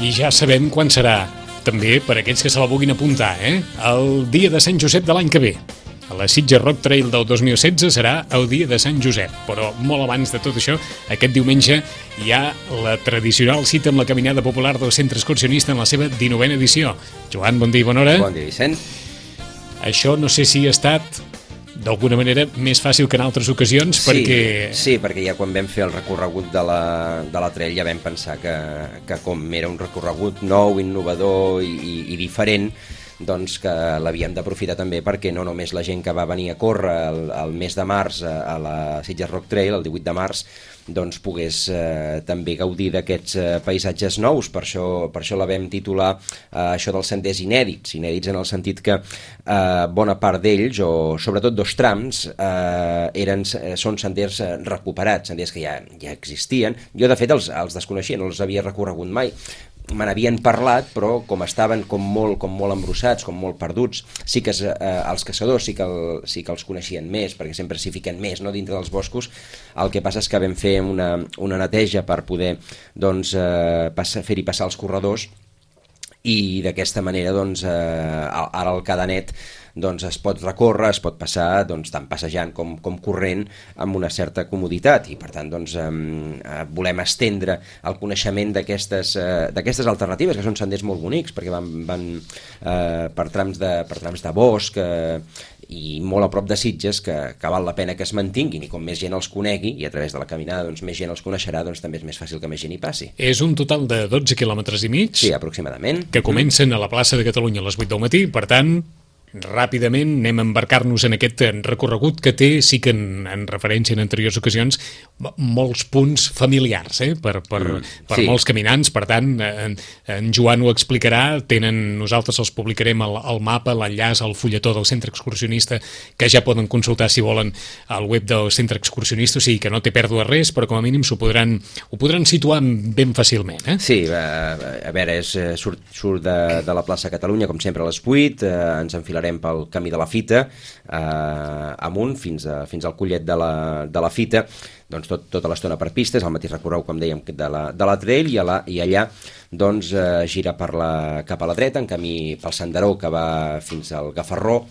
I ja sabem quan serà, també per aquells que se la vulguin apuntar, el dia de Sant Josep de l'any que ve. A la Sitges Rock Trail del 2016 serà el dia de Sant Josep, però molt abans de tot això, aquest diumenge hi ha la tradicional cita amb la caminada popular del Centre Excursionista en la seva 19a edició. Joan, bon dia i bona hora. Bon dia, Vicent. Això no sé si ha estat d'alguna manera més fàcil que en altres ocasions, perquè... Sí, perquè ja quan vam fer el recorregut de la trail ja vam pensar que com era un recorregut nou, innovador i diferent, doncs que l'havíem d'aprofitar també perquè no només la gent que va venir a córrer el mes de març a la Sitges Rock Trail, el 18 de març, doncs pogués també gaudir d'aquests paisatges nous. Per això la vam titular això dels senders inèdits en el sentit que bona part d'ells, o sobretot dos trams, són senders recuperats, senders que ja existien. Jo de fet els desconeixia, no els havia recorregut mai. Me n'havien parlat, però com estaven com molt embrossats, com molt perduts, sí que els caçadors sí que els coneixien més, perquè sempre s'hi fiquen més, no, dintre dels boscos. El que passa és que vam fer una neteja per poder doncs, fer-hi passar els corredors, i d'aquesta manera doncs, ara el cadenet doncs, es pot recórrer, es pot passar doncs, tant passejant com corrent amb una certa comoditat, i per tant doncs, volem estendre el coneixement d'aquestes alternatives, que són senders molt bonics, perquè van per trams de bosc i molt a prop de Sitges, que val la pena que es mantinguin, i com més gent els conegui, i a través de la caminada doncs, més gent els coneixerà, doncs també és més fàcil que més gent hi passi. És un total de 12 quilòmetres i mig? Sí, aproximadament. Que comencen a la plaça de Catalunya a les 8 del matí, per tant, ràpidament anem a embarcar-nos en aquest recorregut que té, sí que en referència en anteriors ocasions, molts punts familiars per sí. Molts caminants. Per tant, en Joan ho explicarà. Nosaltres els publicarem el mapa, l'enllaç al fulletó del Centre Excursionista, que ja poden consultar si volen al web del Centre Excursionista, o sigui que no té pèrdua res, però com a mínim ho podran situar ben fàcilment. Sí, a veure, surt de la plaça Catalunya, com sempre, a les 8, ens enfilarem pel camí de la Fita, amunt, fins al collet de la Fita, doncs tota l'estona per pistes, al mateix recorregut, com dèiem, de la trail, i allà doncs, gira cap a la dreta, en camí pel senderó que va fins al Gafarró,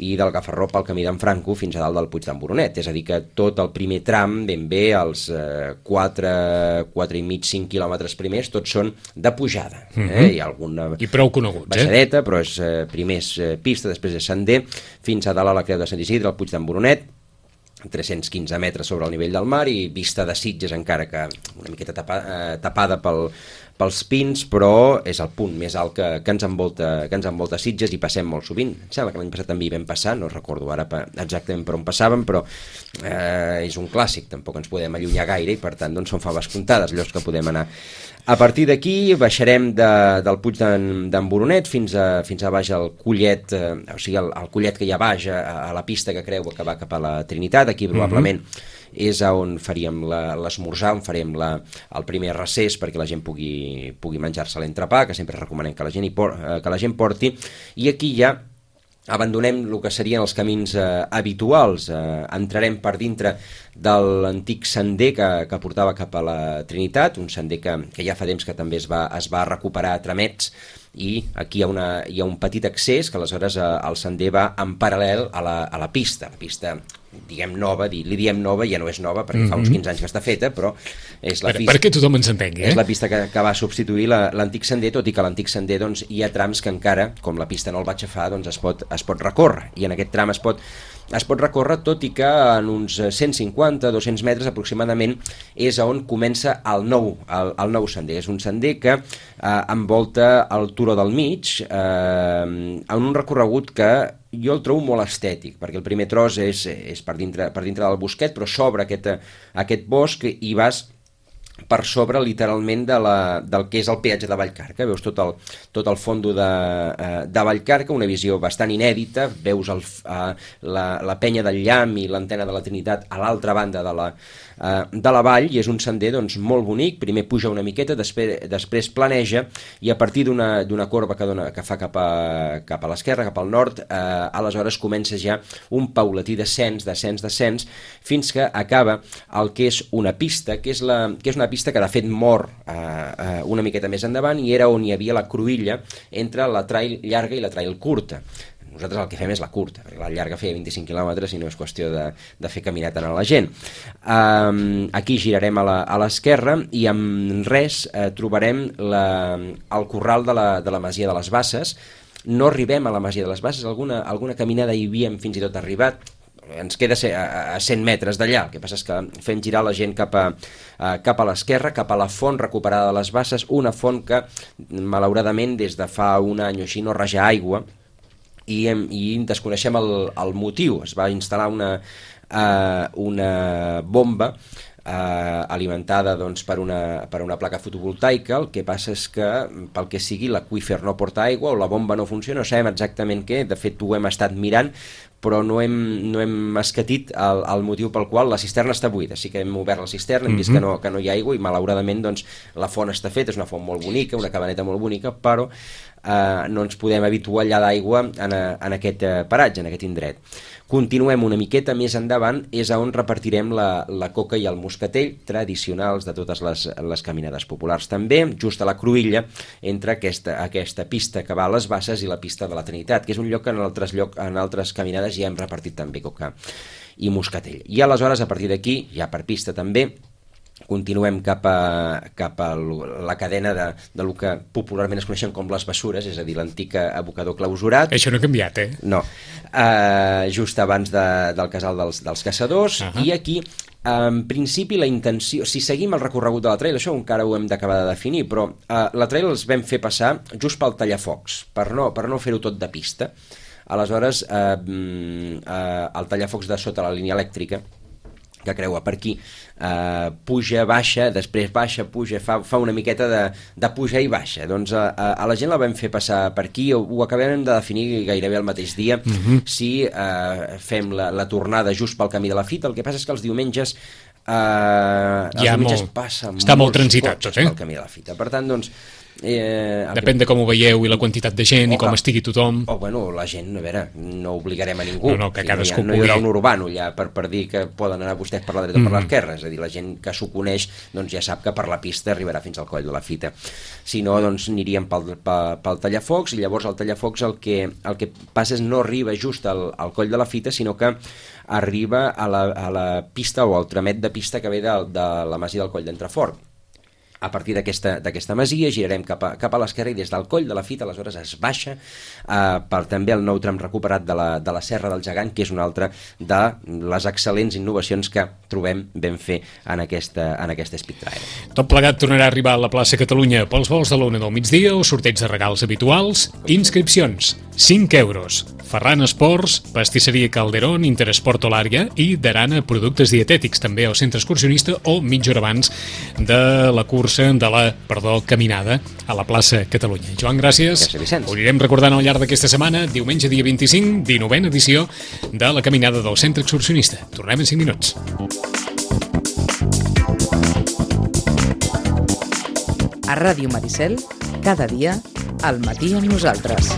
i del Gafarró pel camí d'en Franco fins a dalt del Puig d'en Boronet. És a dir, que tot el primer tram, ben bé, els 4,5 quilòmetres primers, tots són de pujada. Hi ha alguna i prou coneguts, baixadeta, però primer és pista, després és sender, fins a dalt a la Creu de Sant Isidre, al Puig d'en Boronet, 315 metres sobre el nivell del mar, i vista de Sitges, encara que una miqueta tapada pels pins, però és el punt més alt que ens envolta Sitges, i passem molt sovint. Em sembla que l'any passat també hi vam passar, no recordo ara exactament per on passàvem, però és un clàssic, tampoc ens podem allunyar gaire, i per tant doncs, són faves comptades llocs que podem anar. A partir d'aquí baixarem del Puig d'en Boronet fins a baix al collet, o sigui, el collet que hi ha baix a la pista que creua que va cap a la Trinitat. Aquí probablement és on faríem l'esmorzar, on farem el primer recés perquè la gent pugui menjar-se l'entrepà, que sempre recomanem que la gent porti, i aquí ja abandonem el que serien els camins habituals, entrarem per dintre de l'antic sender que portava cap a la Trinitat, un sender que ja fa temps que també es va recuperar a tramets, i aquí hi ha un petit accés que aleshores el sender va en paral·lel a la pista, diguem nova, li diem nova, ja no és nova perquè fa uns 15 anys que està feta, però és la pista, perquè tothom ens entengui, és la pista que va substituir l'antic sender, tot i que l'antic sender doncs, hi ha trams que encara, com la pista no el va aixafar, doncs es pot recórrer, i en aquest tram es pot recórrer, tot i que en uns 150-200 metres aproximadament és on comença el nou sender. És un sender que envolta el turó del mig, en un recorregut que jo el trobo molt estètic, perquè el primer tros és per dintre del bosquet, però s'obre aquest bosc i vas per sobre literalment del que és el peatge de Vallcarca. Veus tot el fondo de Vallcarca, una visió bastant inèdita, veus la penya del Llamp i l'antena de la Trinitat a l'altra banda de la vall, i és un sender doncs, molt bonic. Primer puja una miqueta, després planeja, i a partir d'una corba que fa cap a l'esquerra, cap al nord, aleshores comença ja un paulatí descens, fins que acaba el que és una pista, que és una pista que de fet mor una miqueta més endavant i era on hi havia la cruïlla entre la trail llarga i la trail curta. Nosaltres el que fem és la curta, perquè la llarga feia 25 quilòmetres i no és qüestió de fer caminar tant a la gent. Aquí girarem a l'esquerra i amb res trobarem el corral de la Masia de les Basses. No arribem a la Masia de les Basses, alguna caminada hi havíem fins i tot arribat, ens queda a 100 metres d'allà. El que passa és que fem girar la gent cap a l'esquerra, cap a la font recuperada de les Basses, una font que malauradament des de fa un any o així no raja aigua i desconeixem el motiu. Es va instal·lar una bomba alimentada doncs, per una placa fotovoltaica. El que passa és que pel que sigui l'aqüífer no porta aigua o la bomba no funciona, no sabem exactament què, de fet ho hem estat mirant però no hem escatit el motiu pel qual la cisterna està buida. Sí que hem obert la cisterna, hem vist que no hi ha aigua i malauradament doncs, la font està feta, és una font molt bonica, una cabaneta molt bonica, però no ens podem habituallar d'aigua en aquest paratge, en aquest indret. Continuem una miqueta més endavant, és on repartirem la coca i el moscatell, tradicionals de totes les caminades populars també, just a la cruïlla, entre aquesta pista que va a les Basses i la pista de la Trinitat, que és un lloc que en altres caminades ja hem repartit també coca i moscatell. I aleshores, a partir d'aquí, ja per pista també, continuem cap a la cadena de lo que popularment es coneixen com les Bessures, és a dir, l'antic abocador clausurat. Això no ha canviat, No. Just abans del casal dels caçadors, i aquí, en principi, la intenció, si seguim el recorregut de la trail, això encara ho hem d'acabar de definir, però la trail els vam fer passar just pel tallafocs, per no fer-ho tot de pista. Aleshores, el tallafocs de sota la línia elèctrica, que creua per aquí, puja, baixa, després baixa, puja, fa una miqueta de puja i baixa. Doncs a la gent la vam fer passar per aquí, ho acabem de definir gairebé el mateix dia, si fem la tornada just pel camí de la Fita. El que passa és que els diumenges passa està molt transitat tot, pel camí de la Fita. Per tant, doncs, depèn de com ho veieu i la quantitat de gent i com estigui tothom. La gent, a veure, no obligarem a ningú. Que cadascú no hi haurà un urbano allà per dir que poden anar vostès per la dreta o per l'esquerra. És a dir, la gent que s'ho coneix doncs ja sap que per la pista arribarà fins al coll de la Fita. Si no, doncs aniríem pel tallafocs, i llavors el tallafocs el que passa és no arriba just al coll de la Fita, sinó que arriba a la pista o al tramet de pista que ve de la masia del Coll d'Entrefort. A partir d'aquesta masia girarem cap a l'esquerra i des del Coll de la Fita aleshores es baixa per també el nou tram recuperat de la Serra del Gegant, que és una altra de les excel·lents innovacions que trobem ben fer en aquesta Speed Trail. Tot plegat tornarà a arribar a la plaça Catalunya pels vols de l'1 del migdia o sorteig de regals habituals. Inscripcions, 5 euros. Ferran Esports, Pastisseria Calderón, Interesport Olària i Darana Productes Dietètics, també al centre excursionista o mitja hora abans de la cursa de la caminada a la plaça Catalunya. Joan, gràcies. Gràcies, Vicenç. Ho anirem recordant al llarg d'aquesta setmana, diumenge dia 25, 19a edició de la caminada del centre excursionista. Tornem en 5 minuts. A Ràdio Maricel, cada dia, al matí amb nosaltres.